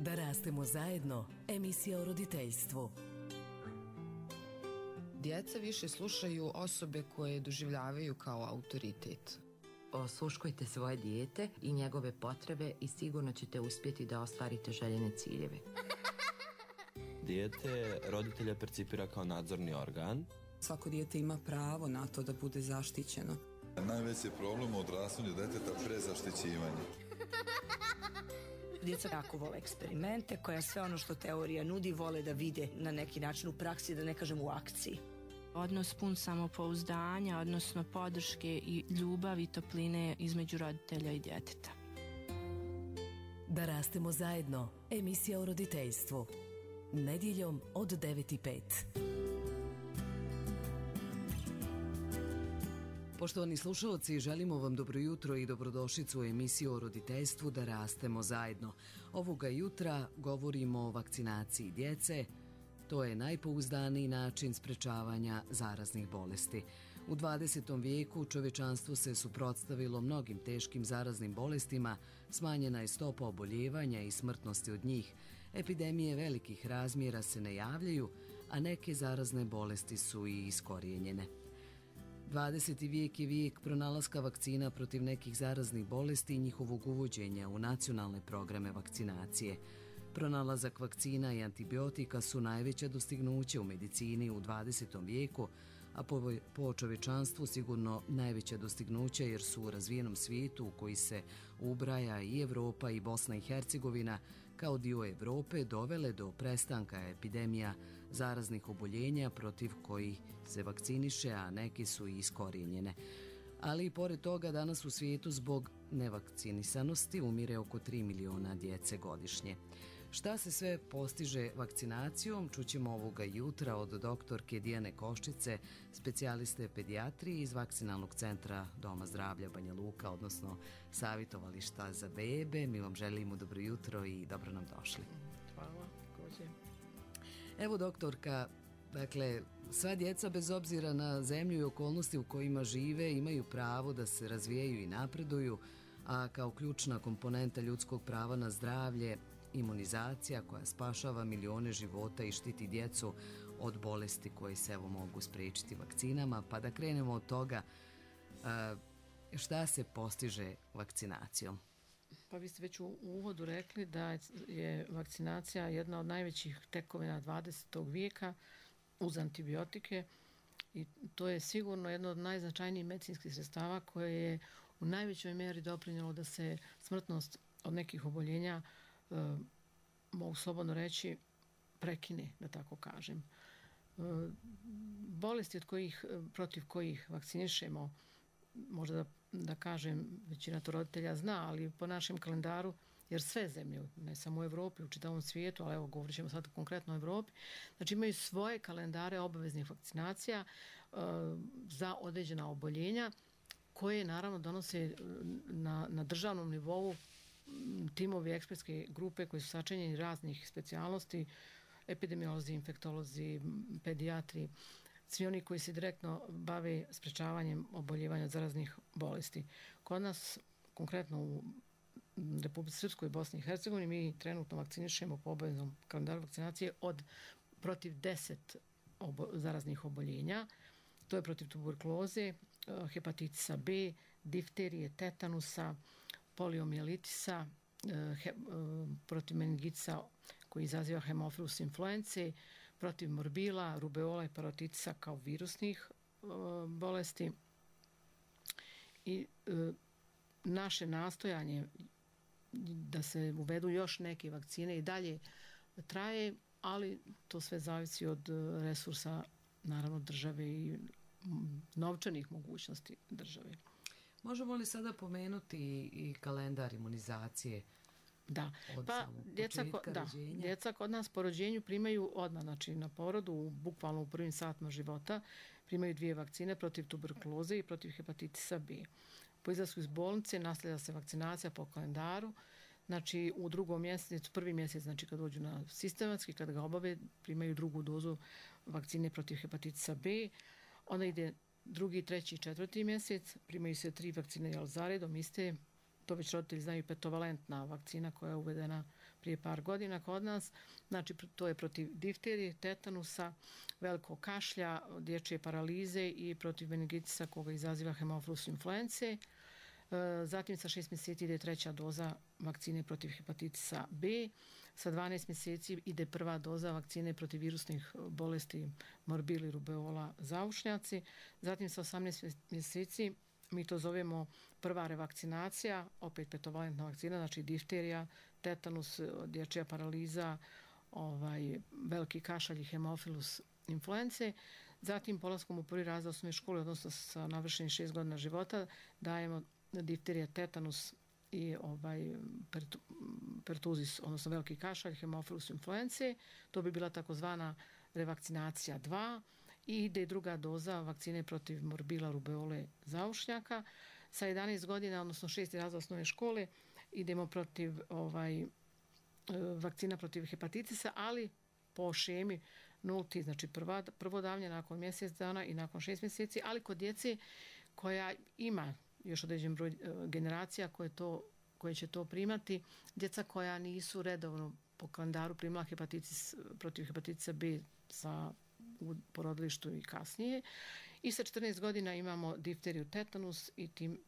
Da rastemo zajedno, emisija o roditeljstvu. Djeca više slušaju osobe koje doživljavaju kao autoritet. Osluškujte svoje dijete i njegove potrebe i sigurno ćete uspjeti da ostvarite željene ciljeve. Dijete roditelja percipira kao nadzorni organ. Svako dijete ima pravo na to da bude zaštićeno. Najveći problem u odrastanju djeteta prezaštićivanje. Djeca jako vole eksperimente, koja sve ono što teorija nudi vole da vide na neki način u praksi, da ne kažem u akciji. Odnos pun samopouzdanja, odnosno podrške i ljubavi i topline između roditelja i djeteta. Da rastemo zajedno, emisija o roditeljstvu. Nedjeljom od 9:05. Poštovani slušalci, želimo vam dobro jutro i dobrodošlicu u emisiju o roditeljstvu Da rastemo zajedno. Ovoga jutra govorimo o vakcinaciji djece. To je najpouzdaniji način sprečavanja zaraznih bolesti. U 20. vijeku čovječanstvo se suprotstavilo mnogim teškim zaraznim bolestima, smanjena je stopa oboljevanja i smrtnosti od njih. Epidemije velikih razmjera se ne javljaju, a neke zarazne bolesti su i iskorijenjene. 20. vijek je vijek pronalaska vakcina protiv nekih zaraznih bolesti i njihovog uvođenja u nacionalne programe vakcinacije. Pronalazak vakcina i antibiotika su najveća dostignuća u medicini u 20. vijeku, a po čovječanstvu sigurno najveća dostignuća jer su u razvijenom svijetu u koji se ubraja i Europa i Bosna i Hercegovina kao dio Europe dovele do prestanka epidemija zaraznih oboljenja protiv kojih se vakciniše, a neke su i iskorijenjene. Ali i pored toga danas u svijetu zbog nevakcinisanosti umire oko 3 miliona djece godišnje. Šta se sve postiže vakcinacijom, čućemo ovoga jutra od doktorke Dijane Koščice, specijaliste pedijatrije iz Vakcinalnog centra Doma zdravlja Banja Luka, odnosno savjetovališta za bebe. Mi vam želimo dobro jutro i dobro nam došli. Hvala, također. Evo doktorka, dakle, sva djeca bez obzira na zemlju i okolnosti u kojima žive imaju pravo da se razvijaju i napreduju, a kao ključna komponenta ljudskog prava na zdravlje imunizacija koja spašava milione života i štiti djecu od bolesti koje se evo mogu spriječiti vakcinama. Pa da krenemo od toga, šta se postiže vakcinacijom? Pa vi ste već u uvodu rekli da je vakcinacija jedna od najvećih tekovina 20. vijeka uz antibiotike i to je sigurno jedno od najznačajnijih medicinskih sredstava koje je u najvećoj mjeri doprinijelo da se smrtnost od nekih oboljenja, mogu slobodno reći, prekine, da tako kažem. Bolesti protiv kojih vakcinišemo, možda da kažem, većina to roditelja zna, ali po našem kalendaru, jer sve zemlje, ne samo u Europi, u čitavom svijetu, ali evo govorit ćemo sad konkretno o Europi, znači imaju svoje kalendare obaveznih vakcinacija za određena oboljenja koje naravno donose na državnom nivou timovi ekspertske grupe koji su sačinjeni raznih specijalnosti, epidemiolozi, infektolozi, pedijatri, svi oni koji se direktno bave sprečavanjem oboljevanja od zaraznih bolesti. Kod nas, konkretno u Republici Srpskoj i Bosni i Hercegovini, mi trenutno vakcinišemo po obaveznom kalendaru vakcinacije protiv 10 zaraznih oboljenja. To je protiv tuberkuloze, hepatitisa B, difterije, tetanusa, poliomijelitisa, protiv meningitisa koji izaziva hemofilus influence, protiv morbila, rubeola i parotitisa kao virusnih bolesti. I naše nastojanje da se uvedu još neke vakcine i dalje traje, ali to sve zavisi od resursa, naravno, države i novčanih mogućnosti države. Možemo li sada pomenuti i kalendar imunizacije? Da, pa djeca kod nas po rođenju primaju odmah, znači na porodu, bukvalno u prvim satima života, primaju 2 vakcine protiv tuberkuloze i protiv hepatitisa B. Po izlasku iz bolnice nastavlja se vakcinacija po kalendaru, znači u 2. mjesecu, 1. mjesec, znači kad dođu na sistematski, kad ga obave, primaju 2. dozu vakcine protiv hepatitisa B, onda ide 2., 3. i 4. mjesec, primaju se 3 vakcine zaredom iste, to već roditelji znaju, petovalentna vakcina koja je uvedena prije par godina kod nas. Znači, to je protiv difterije, tetanusa, velikog kašlja, dječje paralize i protiv meningitisa koga izaziva Haemophilus influenzae. Zatim sa 6 mjeseci ide 3. doza vakcine protiv hepatitisa B. Sa 12 mjeseci ide prva doza vakcine protiv virusnih bolesti morbili, rubeola, zaušnjaci. Zatim sa 18 mjeseci mi to zovemo prva revakcinacija, opet petovalentna vakcina, znači difterija, tetanus, dječja paraliza, veliki kašalj i Haemophilus influenzae. Zatim polaskom u prvi razred osnovne škole, odnosno sa navršenih 6 godina života, dajemo difterija, tetanus i pertuzis, odnosno veliki kašalj, Haemophilus influenzae. To bi bila takozvana revakcinacija 2. I ide druga doza vakcine protiv morbila, rubeole, zaušnjaka. Sa 11 godina, odnosno 6. razred osnovne škole, idemo protiv vakcina protiv hepatitisa, ali po šemi nulti, znači prvo davanje nakon mjesec dana i nakon 6 mjeseci, ali kod djece koja ima još određen broj generacija koje će to primati, djeca koja nisu redovno po kalendaru primila hepatitis protiv hepatitisa B u porodilištu i kasnije. I sa 14 godina imamo difteriju, tetanus i tim,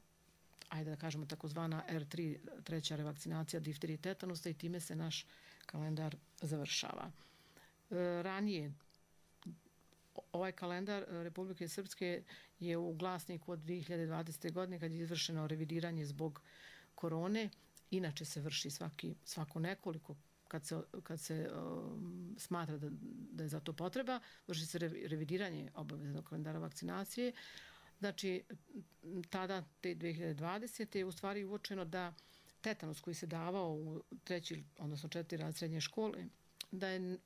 ajde da kažemo takozvana R3, treća revakcinacija difterije i tetanusa, i time se naš kalendar završava. Ranije ovaj kalendar Republike Srpske je u glasniku od 2020. godine kad je izvršeno revidiranje zbog korone. Inače se vrši svako nekoliko kad se smatra da je za to potreba, vrši se revidiranje obaveznog kalendara vakcinacije. Znači, tada, te 2020. je u stvari uočeno da tetanus koji se davao u 3. odnosno 4. razred srednje škole, da je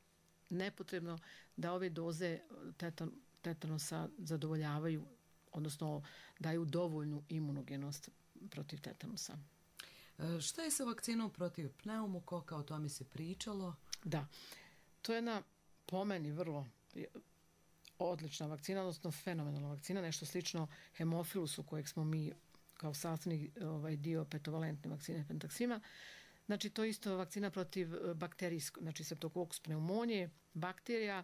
nepotrebno da ove doze tetanusa zadovoljavaju, odnosno daju dovoljnu imunogenost protiv tetanusa. Šta je sa vakcinom protiv pneumokoka? O tome se pričalo. Da, to je jedna po meni vrlo odlična vakcina, odnosno fenomenalna vakcina, nešto slično hemofilusu kojeg smo mi kao sastavni dio petovalentne vakcine Pentaxima. Znači, to je isto vakcina protiv bakterijskog, znači Streptococcus pneumonije, bakterija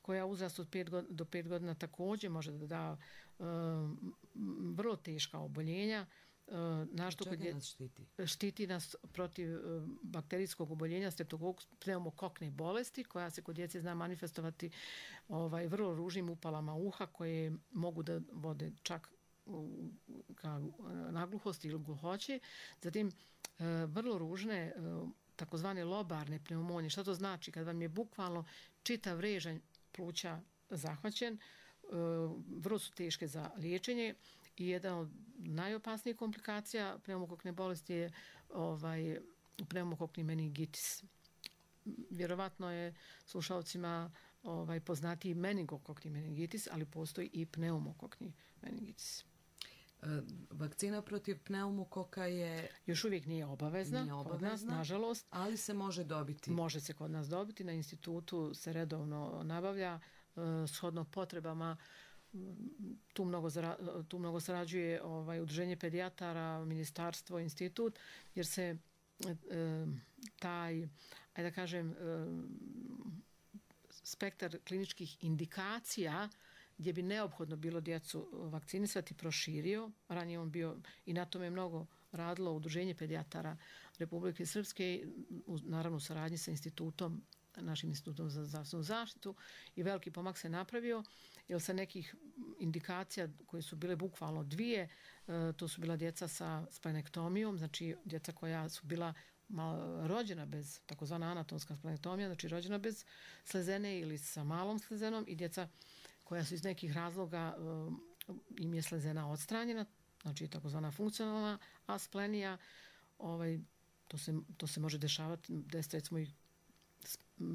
koja uzrast od 5 do 5 godina također može da da vrlo teška oboljenja. Čega nas štiti? Štiti nas protiv bakterijskog oboljenja Streptococcus pneumokokne bolesti, koja se kod djece zna manifestovati vrlo ružnim upalama uha koje mogu da vode čak ka nagluhosti ili gluhoći. Zatim vrlo ružne takozvane lobarne pneumonije. Šta to znači? Kad vam je bukvalno čitav režanj pluća zahvaćen, vrlo su teške za liječenje i jedna od najopasnijih komplikacija pneumokokne bolesti je pneumokokni meningitis. Vjerovatno je slušalcima poznatiji meningokokni meningitis, ali postoji i pneumokokni meningitis. Vakcina protiv pneumokoka je... Još uvijek nije obavezna kod nas, nažalost. Ali se može dobiti. Može se kod nas dobiti. Na institutu se redovno nabavlja shodno potrebama. Tu mnogo sarađuje udruženje pedijatara, ministarstvo, institut, jer se taj, ajde da kažem, spektar kliničkih indikacija gdje bi neophodno bilo djecu vakcinisati proširio. Ranije on bio, i na tome je mnogo radilo udruženje pedijatara Republike Srpske, naravno u saradnji sa institutom, našim institutom za zdravstvenu zaštitu, i veliki pomak se napravio, jer sa nekih indikacija koje su bile bukvalno 2, to su bila djeca sa splenektomijom, znači djeca koja su bila rođena bez, takozvana anatomska splenektomija, znači rođena bez slezene ili sa malom slezenom, i djeca koja su iz nekih razloga im je slezena odstranjena, znači takozvana funkcionalna asplenija. To se može dešavati, recimo i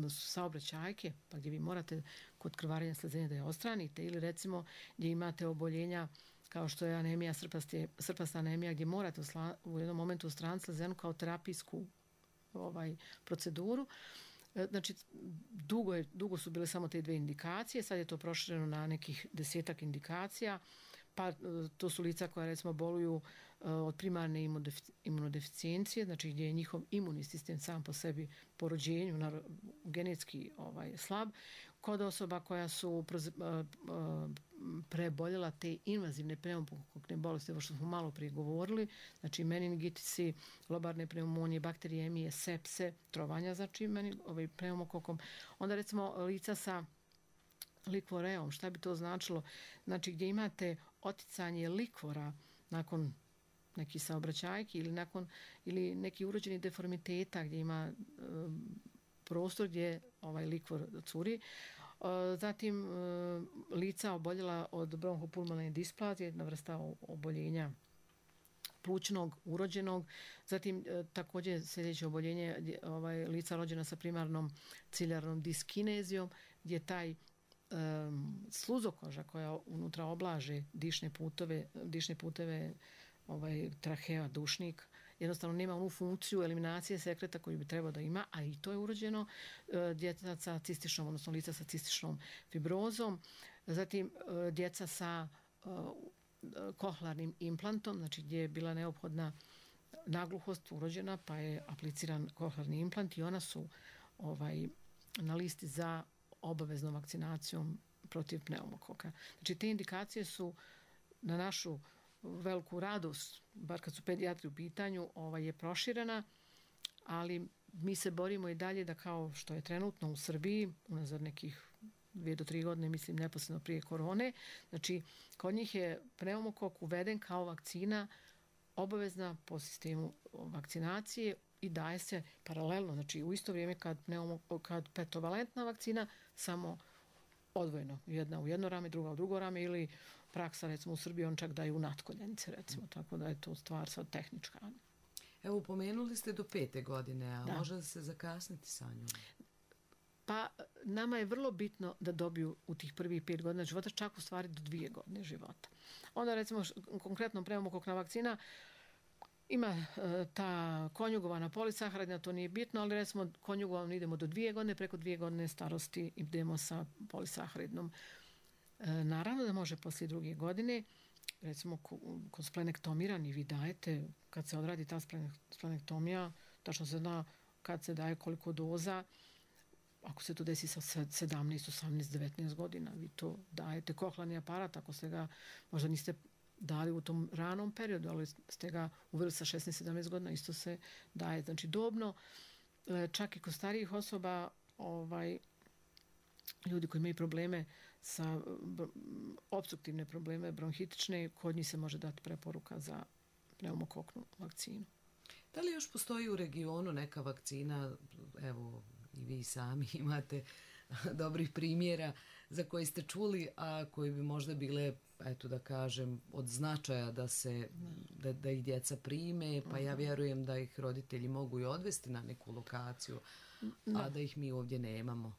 saobraćajke, pa gdje vi morate kod krvarenja slezene da je odstranite, ili recimo gdje imate oboljenja kao što je anemija, srpasta anemija, gdje morate u jednom momentu odstraniti slezenu kao terapijsku proceduru. Znači, dugo su bile samo te 2 indikacije, sad je to prošireno na nekih 10-ak indikacija. Pa to su lica koja recimo boluju od primarne imunodeficijencije, znači gdje je njihov imunni sistem sam po sebi po rođenju genetski slab. Kod osoba koja su preboljela te invazivne pneumokokne bolesti, ovo što smo malo prije govorili, znači meningitisi, lobarne pneumonije, bakterijemije, sepse, trovanja, znači pneumokokom. Onda recimo lica sa likvoreom, šta bi to značilo? Znači gdje imate oticanje likvora nakon nekih saobraćajki ili neki urođeni deformiteta gdje ima prostor gdje likvor curi. Zatim lica oboljela od bronhopulmonalne displazije, jedna vrsta oboljenja plućnog, urođenog. Zatim također sljedeće oboljenje lica rođena sa primarnom ciljarnom diskinezijom, gdje taj sluzokoža koja unutra oblaže dišne puteve trahea, dušnik, jednostavno nema onu funkciju eliminacije sekreta koju bi trebao da ima, a i to je urođeno. Djeca sa cističnom, odnosno lica sa cističnom fibrozom, zatim djeca sa kohlarnim implantom, znači gdje je bila neophodna nagluhost urođena, pa je apliciran kohlarni implant i ona su na listi za obaveznom vakcinacijom protiv pneumokoka. Znači te indikacije su na našu veliku radost, bar kad su pedijatri u pitanju, je proširena, ali mi se borimo i dalje da kao što je trenutno u Srbiji, unazad nekih 2 do 3 godine, mislim neposredno prije korone, znači kod njih je pneumokok uveden kao vakcina obavezna po sistemu vakcinacije i daje se paralelno, znači u isto vrijeme kad petovalentna vakcina, samo odvojeno. Jedna u jedno rame, druga u drugo rame ili praksa, recimo u Srbiji, on čak daju u natkoljenice, recimo, tako da je to stvar sad tehnička. Evo, pomenuli ste do 5. godine, a može se zakasniti sa njom? Pa nama je vrlo bitno da dobiju u tih prvih 5 godina života, čak u stvari do 2 godine života. Onda recimo konkretno pneumokokna vakcina ima ta konjugovana polisaharidna, to nije bitno, ali recimo konjugovano idemo do 2 godine, preko 2 godine starosti idemo sa polisaharidnom. Naravno da može poslije 2 godine, recimo kod splenektomira ni vi dajete, kad se odradi ta splenektomija, tačno se zna kad se daje koliko doza. Ako se to desi sa 17, 18, 19 godina, vi to dajete. Kohlarni aparat, ako ste ga, možda niste dali u tom ranom periodu, ali ste ga uveli sa 16, 17 godina, isto se daje. Znači dobno, čak i kod starijih osoba, ljudi koji imaju probleme sa opstruktivne probleme, bronhitične, kod njih se može dati preporuka za pneumokoknu vakcinu. Da li još postoji u regionu neka vakcina, evo i vi sami imate dobrih primjera za koje ste čuli, a koji bi možda bile, eto da kažem, od značaja da ih djeca prime, pa ja vjerujem da ih roditelji mogu i odvesti na neku lokaciju, a da ih mi ovdje nemamo.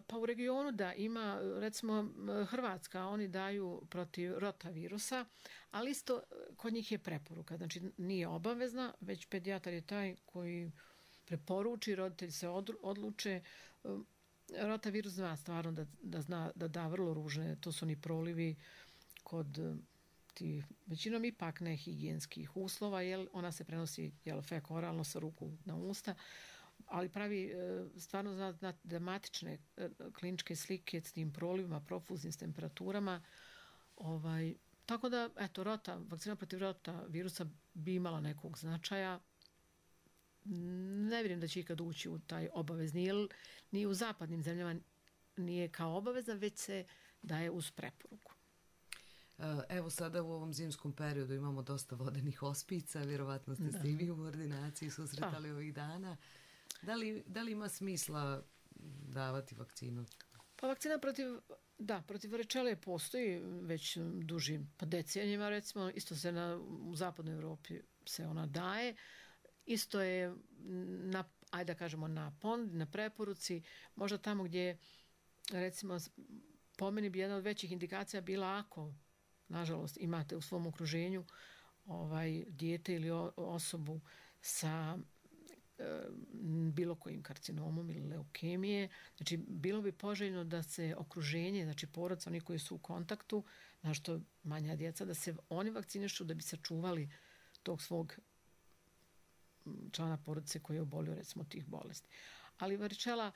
Pa u regionu da ima, recimo Hrvatska, oni daju protiv rotavirusa, ali isto kod njih je preporuka, znači nije obavezna, već pedijatar je taj koji preporuči, roditelji se odluče. Rotavirus zna stvarno da da vrlo ružne, to su oni prolivi kod tih većinom ipak nehigijenskih uslova, jer ona se prenosi fekoralno sa ruku na usta, ali pravi stvarno dramatične kliničke slike s tim prolivima, profuznim s temperaturama. Tako da, eto, vakcina protiv rotavirusa bi imala nekog značaja. Ne vjerujem da će ikad ući u taj obavezni, jer ni u zapadnim zemljama nije kao obavezna, već se daje uz preporuku. Evo sada u ovom zimskom periodu imamo dosta vodenih ospica, vjerovatno ste se i vi u ordinaciji susretali ovih dana. Da li ima smisla davati vakcinu? Pa vakcina protiv varicele postoji već dužim decenijima, recimo, isto se u zapadnoj Europi se ona daje. Isto je na preporuci, možda tamo gdje, recimo, po meni bi jedna od većih indikacija bila ako, nažalost, imate u svom okruženju dijete ili osobu sa bilo kojim karcinomom ili leukemije. Znači, bilo bi poželjno da se okruženje, znači porodca, oni koji su u kontaktu, Zašto manja djeca da se oni vakcinišu da bi sačuvali tog svog člana porodice koji je obolio recimo tih bolesti. Ali varičela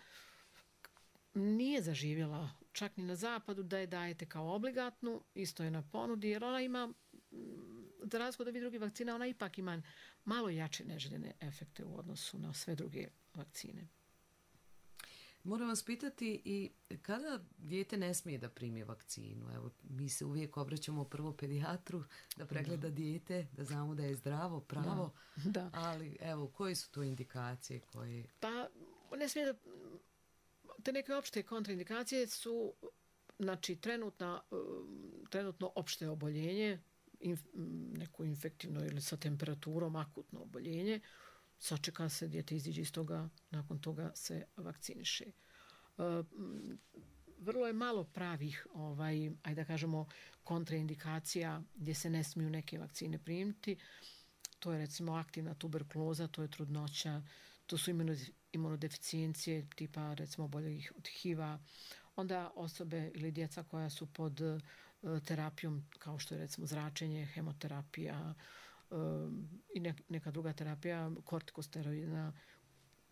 nije zaživjela čak ni na zapadu da je dajete kao obligatnu, isto je na ponudi, jer ona ima, za razliku od ovih drugih vakcina, ona ipak ima malo jače neželjene efekte u odnosu na sve druge vakcine. Moram vas pitati i kada dijete ne smije da primi vakcinu? Evo, mi se uvijek obraćamo prvo pedijatru da pregleda dijete, da znamo da je zdravo, pravo, da. Ali evo, koje su to indikacije koje... Pa, ne smije da... Te neke opšte kontraindikacije su, znači, trenutno opšte oboljenje, neko infektivno ili sa temperaturom, akutno oboljenje, sačeka se, dijete iziđe iz toga, nakon toga se vakciniše. Vrlo je malo pravih, ajde da kažemo, kontraindikacija gdje se ne smiju neke vakcine primiti. To je recimo aktivna tuberkuloza, to je trudnoća, to su imunodeficijencije tipa recimo oboljelih od HIV-a, onda osobe ili djeca koja su pod terapijom kao što je recimo zračenje, hemoterapija i neka druga terapija, kortikosteroidna,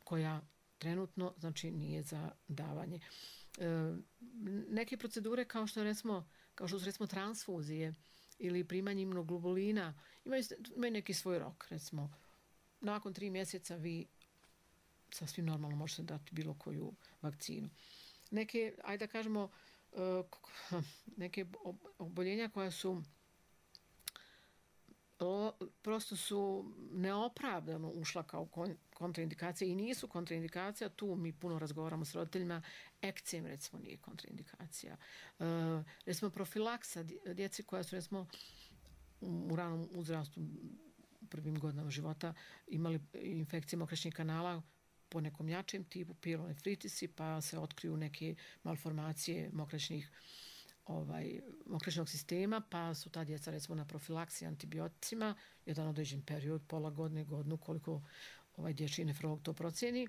koja trenutno znači nije za davanje. Neke procedure kao što su recimo transfuzije ili primanje imunoglobulina imaju neki svoj rok. Recimo, nakon 3 mjeseca vi sasvim normalno možete dati bilo koju vakcinu. Neke, ajde da kažemo, neke oboljenja koja su prosto su neopravdano ušla kao kontraindikacija i nisu kontraindikacija, tu mi puno razgovaramo s roditeljima, ekcem recimo nije kontraindikacija. Recimo profilaksa djeci koja su recimo u ranom uzrastu u prvim godinama života imali infekcije mokraćnih kanala po nekom jačem tipu, pielonefritisi, pa se otkriju neke malformacije mokraćnog sistema, pa su ta djeca recimo na profilaksiji antibioticima, jedan određen period, pola godine, godinu, koliko dječji nefrolog to procjeni,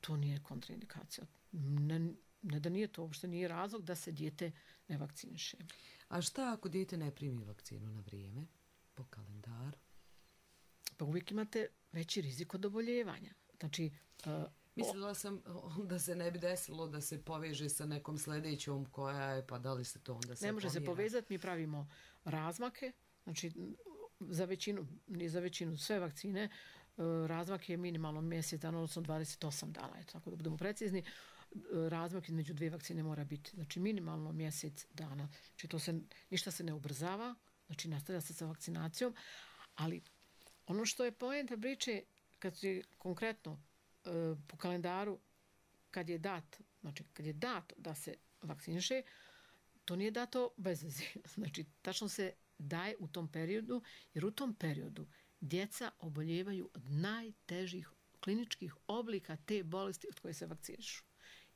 to nije kontraindikacija. Ne da nije to, uopšte nije razlog da se dijete ne vakciniše. A šta ako dijete ne primi vakcinu na vrijeme, po kalendaru? Pa uvijek imate veći rizik od oboljevanja. Znači, mislila sam da se ne bi desilo da se poveže sa nekom sljedećom koja je, pa da li se to onda se ne može se povezati, mi pravimo razmake, znači nije za većinu sve vakcine, razmak je minimalno mjesec dana, odnosno 28 dana, tako da budemo precizni, razmak između 2 vakcine mora biti, znači minimalno mjesec dana, znači ništa se ne ubrzava, znači nastavlja se sa vakcinacijom, ali ono što je poenta priče, kad je konkretno po kalendaru kad je dato da se vakciniše, to nije dato bez veze. Znači, tačno se daje u tom periodu, jer u tom periodu djeca oboljevaju od najtežih kliničkih oblika te bolesti od koje se vakcinišu.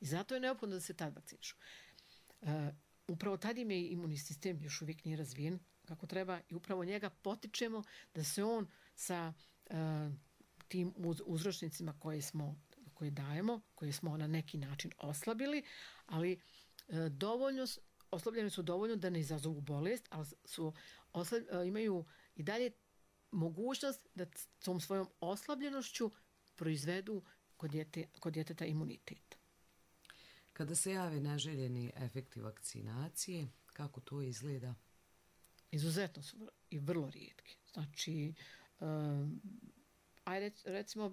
I zato je neophodno da se tad vakcinišu. Upravo tad im je imunni sistem još uvijek nije razvijen kako treba i upravo njega potičemo da se on sa tim uzročnicima koje dajemo, koje smo na neki način oslabili, ali oslabljeni su dovoljno da ne izazovu bolest, ali imaju i dalje mogućnost da tom svojom oslabljenošću proizvedu kod djeteta imunitet. Kada se jave neželjeni efekti vakcinacije, kako to izgleda? Izuzetno su i vrlo rijetki. Znači, recimo,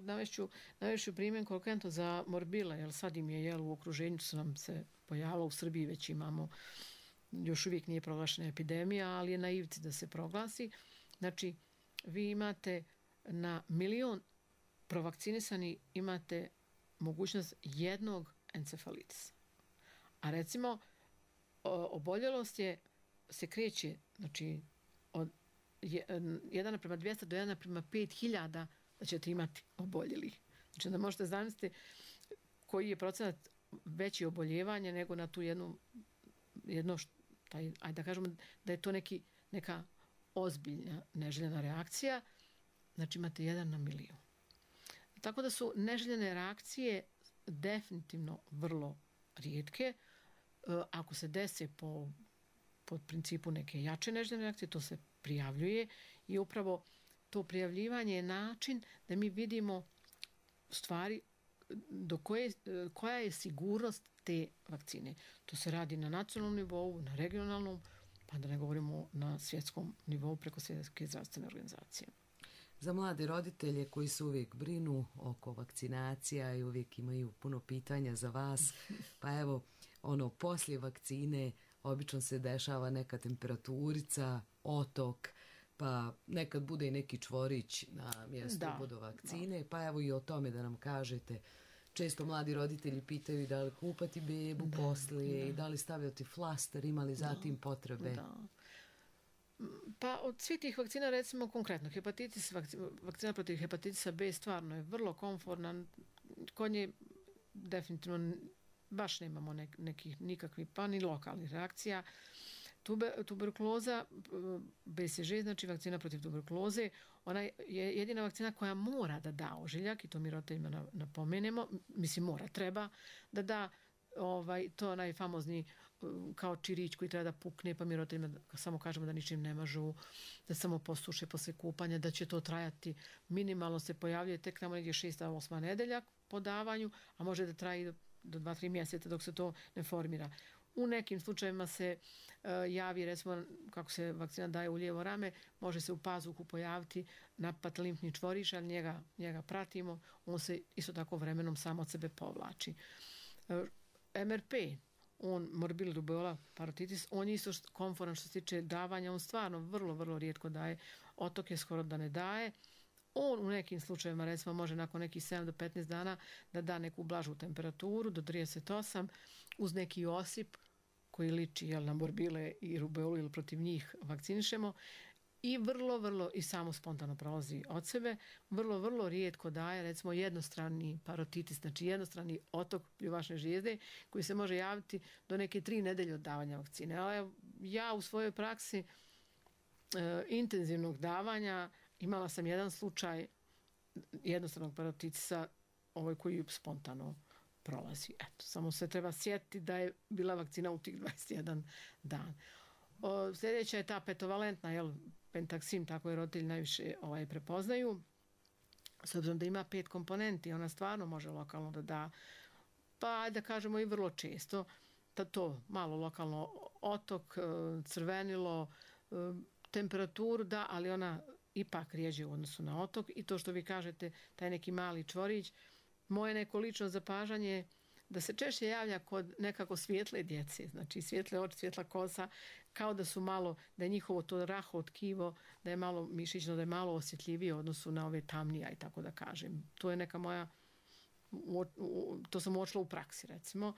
navešću primjer konkretno za morbile, jer sad im je u okruženju su nam se pojavilo, u Srbiji već imamo, još uvijek nije proglašena epidemija, ali je na ivici da se proglasi. Znači, vi imate na 1 milion provakcinisani imate mogućnost jednog encefalitisa. A recimo, oboljelost se kreće, znači, od 1:200 do 1:5000 da ćete imati oboljelih. Znači da možete zamisliti koji je procenat veći oboljevanja nego na tu ajde da kažemo da je to neka ozbiljna neželjena reakcija. Znači imate 1 na 1 milion. Tako da su neželjene reakcije definitivno vrlo rijetke. Ako se dese po po principu neke jače neželjene reakcije, to se prijavljuje i upravo to prijavljivanje je način da mi vidimo stvari koja je sigurnost te vakcine. To se radi na nacionalnom nivou, na regionalnom, pa da ne govorimo na svjetskom nivou preko Svjetske zdravstvene organizacije. Za mlade roditelje koji se uvijek brinu oko vakcinacija i uvijek imaju puno pitanja za vas, pa evo, poslije vakcine obično se dešava neka temperaturica, otok, pa nekad bude i neki čvorić na mjestu uboda vakcine, pa evo i o tome da nam kažete. Često mladi roditelji pitaju da li kupati bebu poslije i da li stavljati flaster, ima li zatim potrebe? Da. Pa od svih tih vakcina, recimo konkretno, vakcina protiv hepatitisa B stvarno je vrlo komforna. Kod nje definitivno baš nemamo nikakvih pa ni lokalnih reakcija. Tuberkuloza, BCG, znači vakcina protiv tuberkuloze, ona je jedina vakcina koja mora da da ožiljak i to mi roditeljima napomenemo, treba da da to onaj famozni kao čirić koji treba da pukne, pa mi roditeljima samo kažemo da ničim ne mažu, da samo posuše posle kupanja, da će to trajati, minimalno se pojavljuje tek tamo negdje 6. 8. nedelja po davanju, a može da traji do 2-3 mjeseca dok se to ne formira. U nekim slučajevima se javi, recimo kako se vakcina daje u lijevo rame, može se u pazuhu pojaviti napad limfni čvoriš, ali njega pratimo, on se isto tako vremenom sam od sebe povlači. MRP, morbilli rubeola parotitis, on je isto komforan što se tiče davanja, on stvarno vrlo, vrlo rijetko daje, otoke skoro da ne daje. On u nekim slučajevima, recimo, može nakon nekih 7 do 15 dana da da neku blažu temperaturu do 38 uz neki osip koji liči na morbile i rubeolu ili protiv njih vakcinišemo i vrlo i samo spontano prolazi od sebe. Vrlo rijetko daje, recimo, jednostrani parotitis, znači jednostrani otok pljuvačne žlijezde koji se može javiti do neke 3 nedelje od davanja vakcine. Ali ja u svojoj praksi intenzivnog davanja imala sam jedan slučaj jednostranog parotitisa koji spontano prolazi. Eto, samo se treba sjetiti da je bila vakcina u tih 21 dan. Sljedeća je ta petovalentna, pentaksim, tako je roditelji najviše prepoznaju. S obzirom da ima 5 komponenti, ona stvarno može lokalno da da, pa da kažemo i vrlo često, to malo lokalno otok, crvenilo, temperaturu da, ali ona ipak rijeđe u odnosu na otok i to što vi kažete, taj neki mali čvorić, moje neko lično zapažanje da se češće javlja kod nekako svijetle djece, znači svijetle oči, svjetla kosa, kao da su malo, da je njihovo to raho tkivo, da je malo mišićno, da je malo osjetljivije u odnosu na ove tamnija i tako da kažem. To je neka moja, to sam uočila u praksi recimo.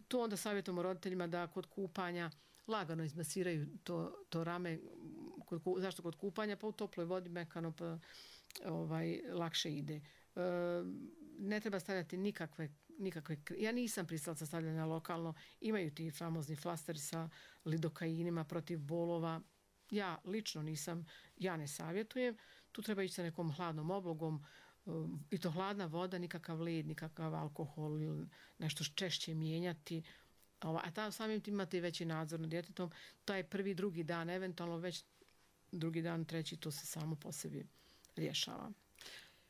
To onda savjetujemo roditeljima da kod kupanja lagano izmasiraju to rame. Zašto kod kupanja? Pa u toploj vodi mekano, pa lakše ide. Ne treba stavljati nikakve, ja nisam pristalica stavljanja lokalno, imaju ti famozni flasteri sa lidokainima protiv bolova, ja lično nisam, ja ne savjetujem, tu treba ići sa nekom hladnom oblogom i to hladna voda, nikakav led, nikakav alkohol ili nešto češće mijenjati, a samim tim imate veći nadzor nad djetetom, taj prvi, drugi dan, eventualno već drugi dan, treći, to se samo po sebi rješava.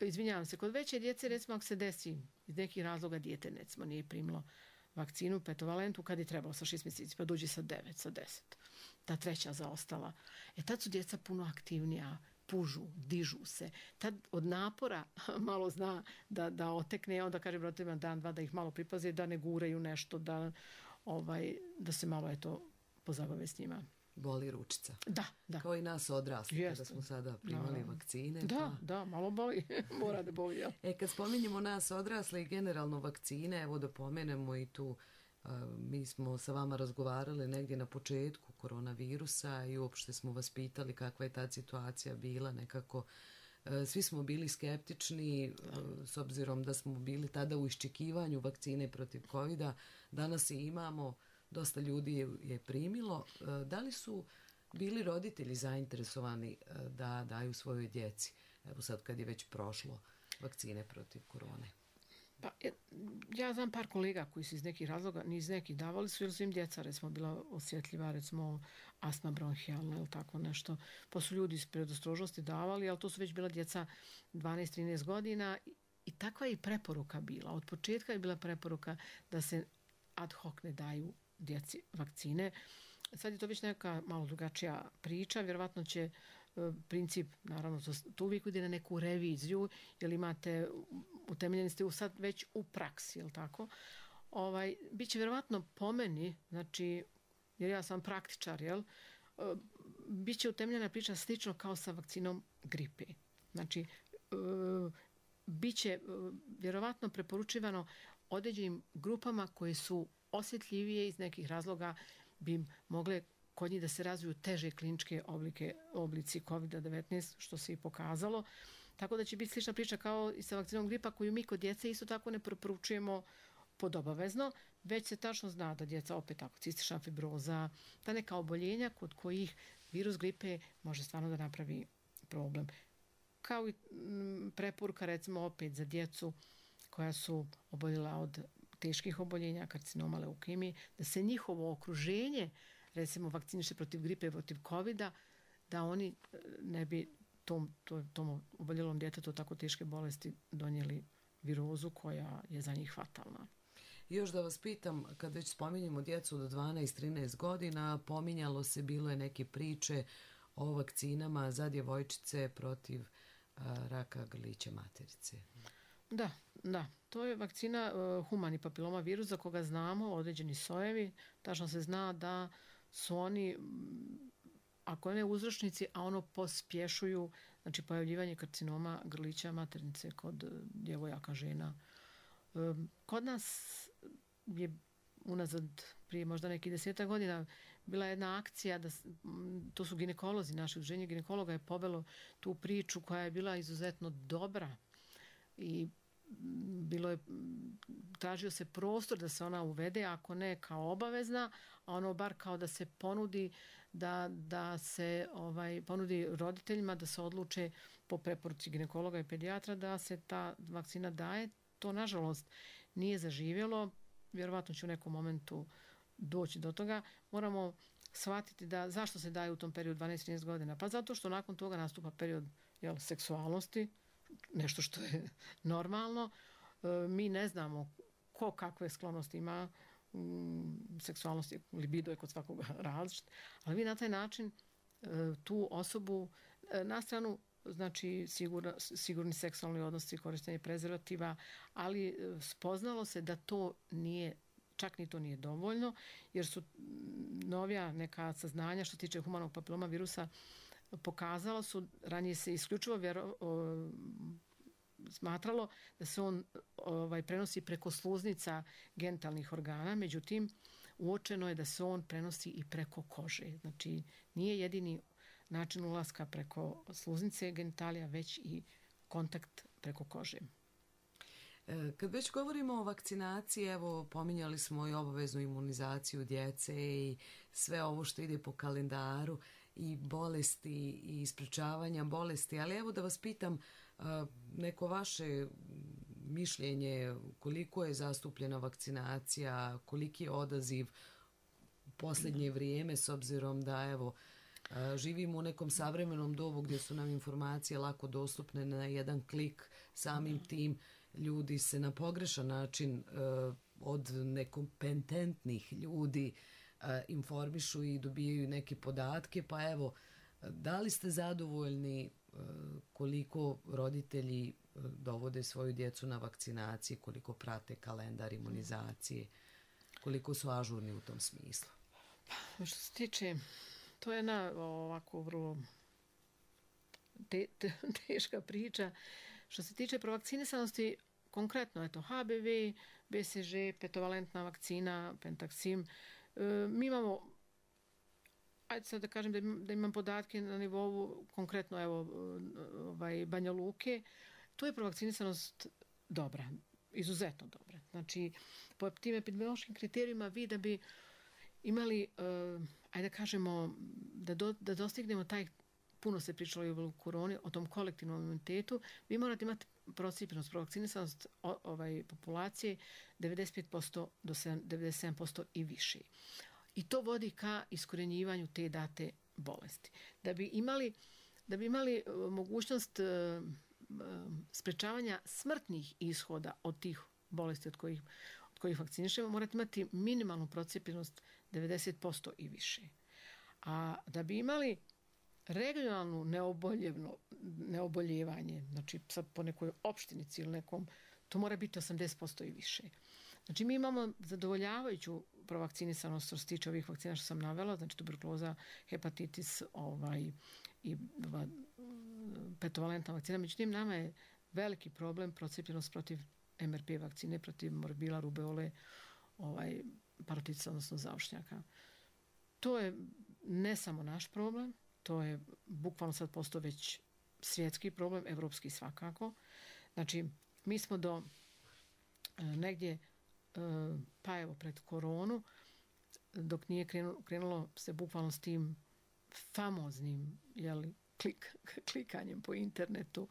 Izvinjavam se, kod veće djece, recimo ako se desi iz nekih razloga dijete recimo nije primilo vakcinu petovalentu kad je trebalo sa 6 mjeseci, pa dođe sa 9, sa 10, ta treća zaostala. Tad su djeca puno aktivnija, pužu, dižu se. Tad od napora malo zna da otekne, onda kažem roditeljima dan, dva da ih malo pripaze, da ne guraju nešto, da se malo pozabave s njima. Boli ručica. Da. Kao i nas odrasli, kada smo sada primali vakcine. Da, malo boli. Mora da boli, jel? Kad spominjemo nas odrasli i generalno vakcine, evo da pomenemo i tu, mi smo sa vama razgovarali negdje na početku koronavirusa i uopšte smo vas pitali kakva je ta situacija bila, nekako svi smo bili skeptični s obzirom da smo bili tada u iščekivanju vakcine protiv covida. Danas i imamo, dosta ljudi je primilo. Da li su bili roditelji zainteresovani da daju svojoj djeci, evo sad kad je već prošlo, vakcine protiv korone? Pa, ja znam par kolega koji su iz nekih razloga, ni iz nekih davali su, jer su im djeca, recimo, bila osjetljiva, recimo, astma bronhijalna ili tako nešto. Pa su ljudi iz predostrožnosti davali, ali to su već bila djeca 12-13 godina i takva je i preporuka bila. Od početka je bila preporuka da se ad hoc ne daju djeci vakcine. Sad je to već neka malo drugačija priča, vjerovatno će princip, naravno, to uvijek ide na neku reviziju, jer imate, utemeljeni ste sad već u praksi, jel tako? Biće vjerovatno po meni, znači, jer ja sam praktičar, jel? Biće utemeljena priča slično kao sa vakcinom gripe. Znači, biće vjerovatno preporučivano određenim grupama koje su osjetljivije iz nekih razloga bi mogle kod njih da se razviju teže kliničke oblici COVID-19, što se i pokazalo. Tako da će biti slična priča kao i sa vakcinom gripa, koju mi kod djece isto tako ne preporučujemo podobavezno, već se tačno zna da djeca, opet tako, cistična fibroza, ta neka oboljenja kod kojih virus gripe može stvarno da napravi problem. Kao i preporuka, recimo, opet za djecu koja su oboljela od teških oboljenja, karcinoma, leukemije, da se njihovo okruženje, recimo, vakciniše protiv gripe, protiv covida, da oni ne bi tom oboljelom djetetu tako teške bolesti donijeli virozu koja je za njih fatalna. Još da vas pitam, kad već spominjemo djecu do 12-13 godina, pominjalo se, bilo je neke priče o vakcinama za djevojčice protiv raka grlića materice. Da. To je vakcina humani papiloma virus za koga znamo određeni sojevi. Tačno se zna da su oni, ako ne uzročnici, a ono pospješuju, znači, pojavljivanje karcinoma grlića maternice kod djevojaka, žena. Kod nas je unazad prije možda nekih 10 godina bila jedna akcija, to su ginekolozi, naše udruženje ginekologa je povelo tu priču koja je bila izuzetno dobra i tražio se prostor da se ona uvede, ako ne kao obavezna, a ono bar kao da se ponudi da se ponudi roditeljima da se odluče po preporuci ginekologa i pedijatra da se ta vakcina daje. To, nažalost, nije zaživjelo. Vjerovatno će u nekom momentu doći do toga. Moramo shvatiti da zašto se daje u tom periodu 12-13 godina. Pa zato što nakon toga nastupa period seksualnosti, nešto što je normalno. Mi ne znamo ko kakve sklonosti ima, seksualnosti, libido je kod svakoga različit, ali vi na taj način tu osobu na stranu, znači sigurni seksualni odnosi, korištenje prezervativa, ali spoznalo se da to nije, čak ni to nije dovoljno, jer su novija neka saznanja što se tiče humanog papiloma virusa pokazalo su, ranije se isključivo smatralo da se on prenosi preko sluznica genitalnih organa, međutim uočeno je da se on prenosi i preko kože. Znači nije jedini način ulaska preko sluznice genitalija, već i kontakt preko kože. Kad već govorimo o vakcinaciji, evo, pominjali smo i obaveznu imunizaciju djece i sve ovo što ide po kalendaru i bolesti i sprečavanja bolesti, ali evo da vas pitam neko vaše mišljenje, koliko je zastupljena vakcinacija, koliki je odaziv u posljednje vrijeme, s obzirom da evo živimo u nekom savremenom dobu gdje su nam informacije lako dostupne na jedan klik, samim tim ljudi se na pogrešan način od nekompetentnih ljudi informišu i dobijaju neke podatke, pa evo, da li ste zadovoljni koliko roditelji dovode svoju djecu na vakcinaciji, koliko prate kalendar imunizacije, koliko su ažurni u tom smislu? Što se tiče, to je jedna ovako vrlo teška priča. Što se tiče provakcinisanosti, konkretno, eto, HBV, BCG, petovalentna vakcina, Pentaksim, mi imamo, ajde sad da kažem da imam podatke na nivou, konkretno, evo, Banja Luke, tu je provakcinisanost dobra, izuzetno dobra. Znači, po tim epidemiološkim kriterijima vi da bi imali, ajde da kažemo, da dostignemo taj, puno se pričalo i o koroni, o tom kolektivnom imunitetu, vi morate imati procijepljenost, provakcinisanost populacije 95% do 97% i više. I to vodi ka iskorjenjivanju te date bolesti. Da bi imali mogućnost sprečavanja smrtnih ishoda od tih bolesti od kojih vakcinišemo, morate imati minimalnu procijepljenost 90% i više. A da bi imali regionalnu neoboljevanje, znači sad po nekoj opštinici ili nekom, to mora biti 80% i više. Znači mi imamo zadovoljavajuću provakcinisanost što se tiče ovih vakcina što sam navela, znači tuberkuloza, hepatitis i petovalentna vakcina. Međutim, nama je veliki problem procijepljenost protiv MRP vakcine, protiv morbila, rubeole, parotitisa, odnosno zaušnjaka. To je ne samo naš problem, to je bukvalno sad postao već svjetski problem, evropski svakako. Znači, mi smo do negdje, pa evo pred koronu, dok nije krenulo se bukvalno s tim famoznim klikanjem po internetu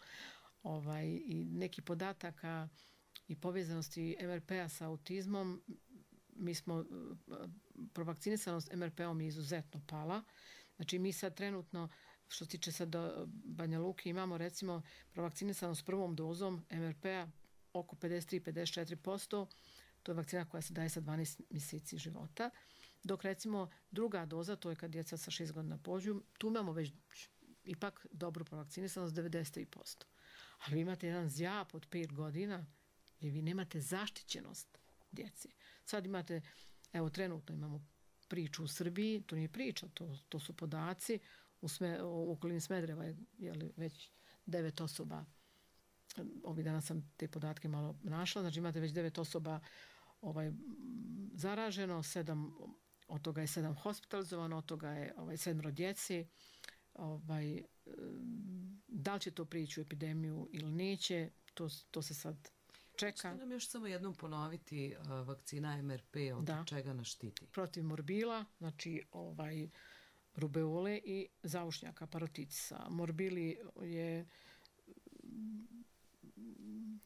i neki podataka i povezanosti MRP-a sa autizmom, mi smo, provakcinisanost MRP-om je izuzetno pala. Znači mi sad trenutno, što se tiče sad Banja Luke, imamo recimo provakcinisanost prvom dozom MRP-a oko 53-54%, to je vakcina koja se daje sa 12 mjeseci života, dok recimo druga doza, to je kad djeca sa 6 godina pođu, tu imamo već ipak dobru provakcinisanost 93%. Ali vi imate jedan zjap od 5 godina i vi nemate zaštićenost djece. Sad imate, evo trenutno imamo priču u Srbiji, to nije priča, to su podaci, u okolini Smedereva je već 9 osoba, ovih dana sam te podatke malo našla, znači imate već 9 osoba zaraženo, 7, od toga je 7 hospitalizovano, od toga je 7 djeci. Da li će to prići u epidemiju ili neće, to se sad čeka. Što nam još samo jednom ponoviti vakcina MRP, od čega nas štiti? Protiv morbila, znači rubeole i zaušnjaka, parotitisa. Morbili je,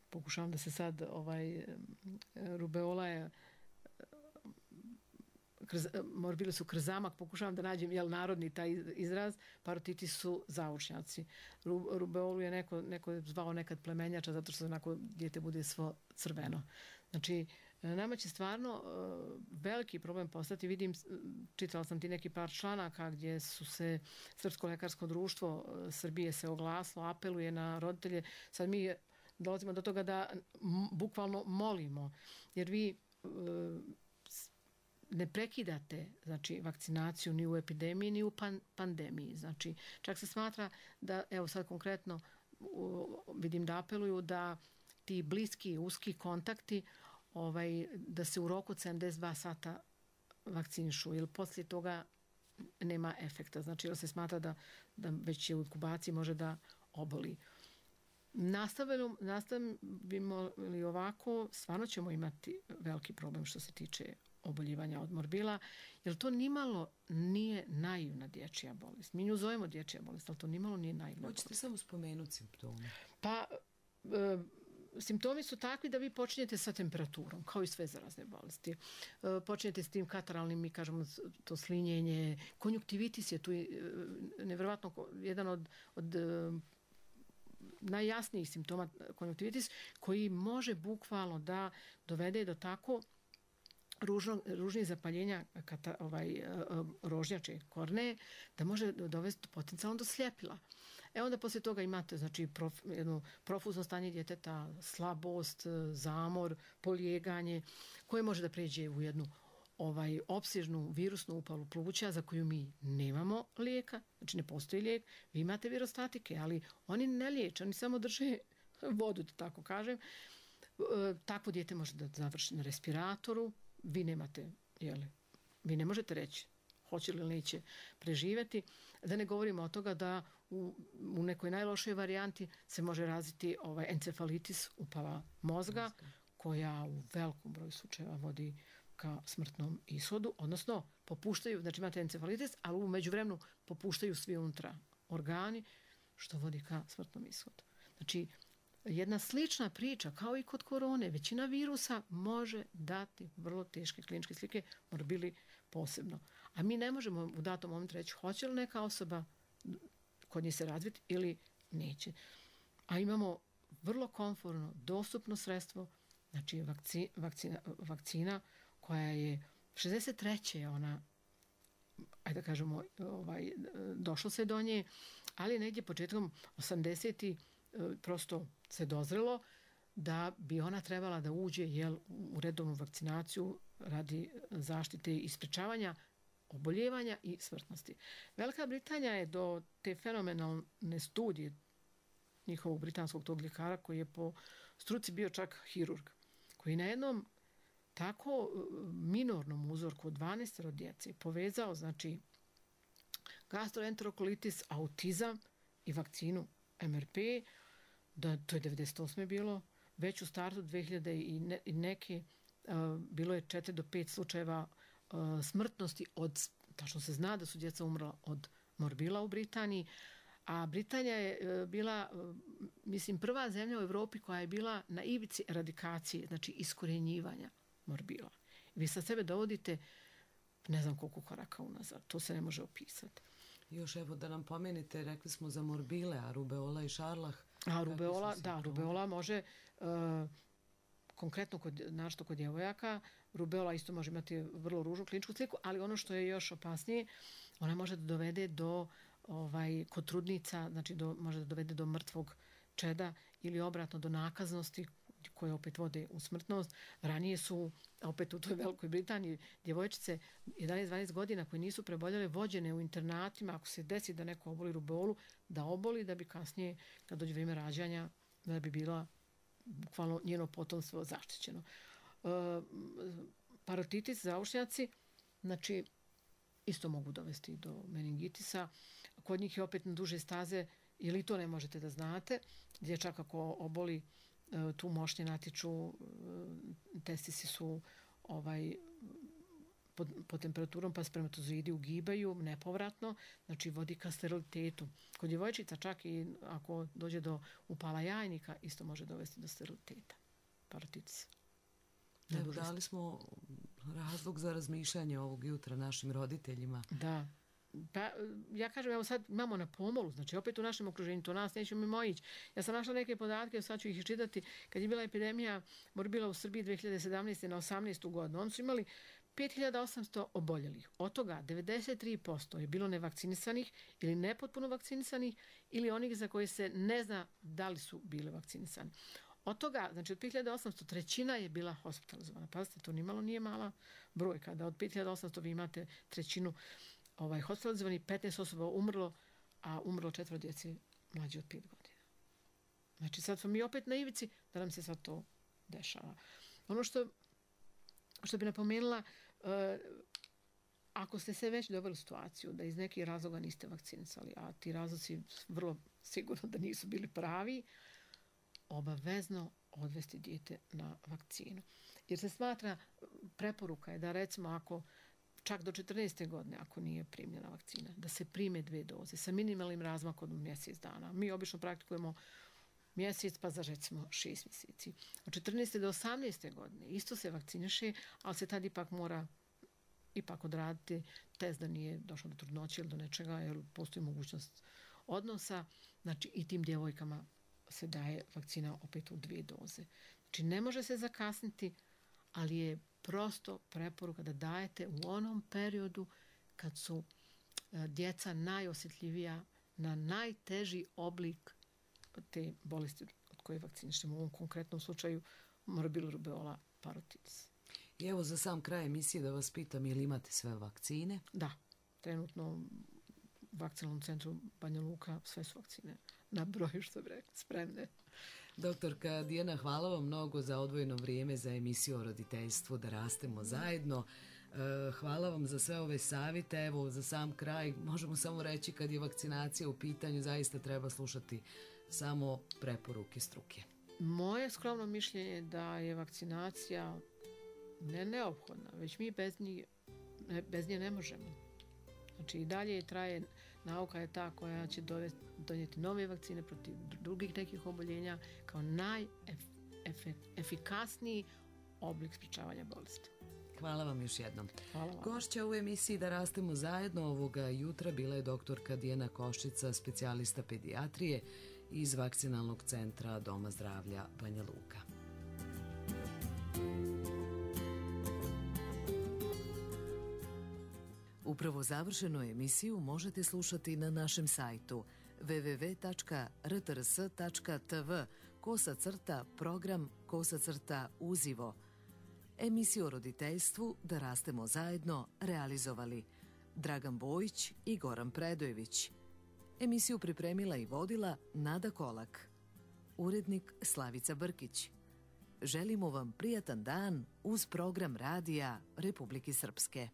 pokušavam da se sad, rubeola je, morbili su krzamak, pokušavam da nađem narodni taj izraz, parotitis su zaušnjaci. Rubeolu je neko zvao nekad plemenjača zato što onako dijete bude svo crveno. Znači, nama će stvarno veliki problem postati. Vidim, čitala sam ti neki par članaka gdje su se Srpsko lekarsko društvo Srbije se oglasilo, apeluje na roditelje. Sad mi dolazimo do toga da bukvalno molimo, jer vi ne prekidate, znači, vakcinaciju ni u epidemiji ni u pandemiji. Znači, čak se smatra da, evo sad konkretno vidim da apeluju da ti bliski, uski kontakti da se u roku od 72 sata vakcinišu, jer poslije toga nema efekta. Znači, jer se smatra da već je u inkubaciji može da oboli. Nastavimo li ovako, stvarno ćemo imati veliki problem što se tiče oboljevanja od morbila, jer to nimalo nije naivna dječja bolest. Mi nju zovemo dječja bolest, ali to nimalo nije naivna bolest. Hoćete samo spomenuti simptome? Pa, simptomi su takvi da vi počinjete sa temperaturom, kao i sve zarazne bolesti. Počinjete s tim kataralnim, mi kažemo to slinjenje, konjuktivitis je tu nevjerovatno jedan od najjasnijih simptoma konjuktivitis, koji može bukvalno da dovede do tako ružnih zapaljenja rožnjače korneje, da može dovesti potencijalno do sljepila. Onda poslije toga imate, znači, jedno profuzno stanje djeteta, slabost, zamor, polijeganje, koje može da pređe u jednu opsežnu virusnu upalu pluća za koju mi nemamo lijeka, znači ne postoji lijek. Vi imate virostatike, ali oni ne liječe, oni samo drže vodu, da tako kažem. Takvo dijete može da završi na respiratoru, vi nemate, vi ne možete reći hoće li ili neće preživjeti. Da ne govorimo o toga da u nekoj najlošoj varijanti se može razviti encefalitis, upala mozga, koja u velikom broju slučajeva vodi ka smrtnom ishodu, odnosno popuštaju, znači imate encefalitis, ali u međuvremenu popuštaju svi unutra organi, što vodi ka smrtnom ishodu. Znači, jedna slična priča kao i kod korone. Većina virusa može dati vrlo teške kliničke slike, morbili posebno. A mi ne možemo u datom momentu reći hoće li neka osoba kod nje se razviti ili neće. A imamo vrlo komfortno, dostupno sredstvo, znači vakcina koja je 63. ona, ajde da kažemo, došlo se do nje, ali negdje početkom 80. prosto se dozrelo da bi ona trebala da uđe u redovnu vakcinaciju radi zaštite i sprečavanja oboljevanja i smrtnosti. Velika Britanija je do te fenomenalne studije njihovog britanskog tog ljekara koji je po struci bio čak hirurg, koji na jednom tako minornom uzorku od 12 djece povezao, znači, gastroenterokolitis, autizam i vakcinu MRP, da to je 98. bilo, već u startu 2000 i neke bilo je 4 do 5 slučajeva smrtnosti tačno se zna da su djeca umrla od morbila u Britaniji, a Britanija je bila, mislim, prva zemlja u Evropi koja je bila na ivici eradikacije, znači iskorjenjivanja morbila. Vi sa sebe dovodite ne znam koliko koraka unazad, to se ne može opisati. Još evo da nam pomenete, rekli smo za morbile, a rubeola i šarlah. A rubeola može, konkretno našto kod djevojaka, rubeola isto može imati vrlo ružnu kliničku sliku, ali ono što je još opasnije, ona može da dovede do, kod trudnica, znači može da dovede do mrtvog čeda ili obratno do nakaznosti koje opet vode u smrtnost. Ranije su, opet u toj Velikoj Britaniji, djevojčice 11-12 godina koje nisu preboljele vođene u internatima, ako se desi da neko oboli rubeolu, da oboli da bi kasnije, kad dođe vrijeme rađanja, da bi bila bukvalno njeno potomstvo zaštićeno. Parotitis, zaušnjaci, znači isto mogu dovesti do meningitisa. Kod njih je opet na duže staze, ili to ne možete da znate, dječak ako oboli tu mošnje natiču, testisi su pod temperaturom, pa spermatozoidi ugibaju nepovratno, znači vodi ka sterilitetu. Kod djevojčica čak i ako dođe do upala jajnika, isto može dovesti do steriliteta. Parotitis. Evo, dali smo razlog za razmišljanje ovog jutra našim roditeljima. Da. Pa, ja kažem, evo sad imamo na pomolu, znači opet u našem okruženju, to nas nećemo mimo ići. Ja sam našla neke podatke, sad ću ih iščitati, kad je bila epidemija morbila u Srbiji 2017. na 18. godinu, oni su imali 5800 oboljelih. Od toga 93% je bilo nevakcinisanih ili nepotpuno vakcinisanih ili onih za koje se ne zna da li su bile vakcinisani. Od toga, znači od 5800, trećina je bila hospitalizovana. Pazite, to nimalo nije mala brojka, da od 5800 vi imate trećinu hospitalizovani, 15 osoba umrlo, a umrlo 4 djece mlađe od 5 godina. Znači sad smo mi opet na ivici da nam se sad to dešava. Ono što bi napomenula, ako ste se već doveli u situaciju da iz nekih razloga niste vakcinisali, a ti razlozi vrlo sigurno da nisu bili pravi, obavezno odvesti dijete na vakcinu. Jer se smatra, preporuka je da recimo ako čak do 14. godine, ako nije primljena vakcina, da se prime 2 doze sa minimalnim razmakom od mjesec dana. Mi obično praktikujemo mjesec, pa za recimo 6 mjeseci. Od 14. do 18. godine isto se vakciniše, ali se tad ipak mora odraditi test da nije došlo do trudnoće ili do nečega, jer postoji mogućnost odnosa. Znači i tim djevojkama se daje vakcina opet u 2 doze. Znači ne može se zakasniti, ali je prosto preporuka da dajete u onom periodu kad su djeca najosjetljivija na najteži oblik te bolesti od koje vakcinišemo. U ovom konkretnom slučaju morbilu, rubeola, parotitis. I evo za sam kraj emisije da vas pitam, je li imate sve vakcine? Da, trenutno u vakcinalnom centru Banja Luka sve su vakcine na broju, što bi rekli, spremne. Doktorka Dijana, hvala vam mnogo za odvojeno vrijeme za emisiju o roditeljstvu Da rastemo zajedno. Hvala vam za sve ove savjete. Evo, za sam kraj možemo samo reći kad je vakcinacija u pitanju, zaista treba slušati samo preporuke struke. Moje skromno mišljenje je da je vakcinacija ne neophodna, već mi bez nje ne možemo. Znači i dalje traje Nauka je ta koja će donijeti nove vakcine protiv drugih nekih oboljenja kao najefikasniji oblik sprečavanja bolesti. Hvala vam još jednom. Hvala vam. Gošća u emisiji Da rastemo zajedno ovoga jutra bila je doktorka Dijana Koščica, specijalista pedijatrije iz Vakcinalnog centra Doma zdravlja Banja Luka. Upravo završenu emisiju možete slušati na našem sajtu www.rtrs.tv/program/uzivo. Emisiju o roditeljstvu Da rastemo zajedno realizovali Dragan Bojić i Goran Predojević. Emisiju pripremila i vodila Nada Kolak. Urednik Slavica Brkić. Želimo vam prijatan dan uz program radija Republike Srpske.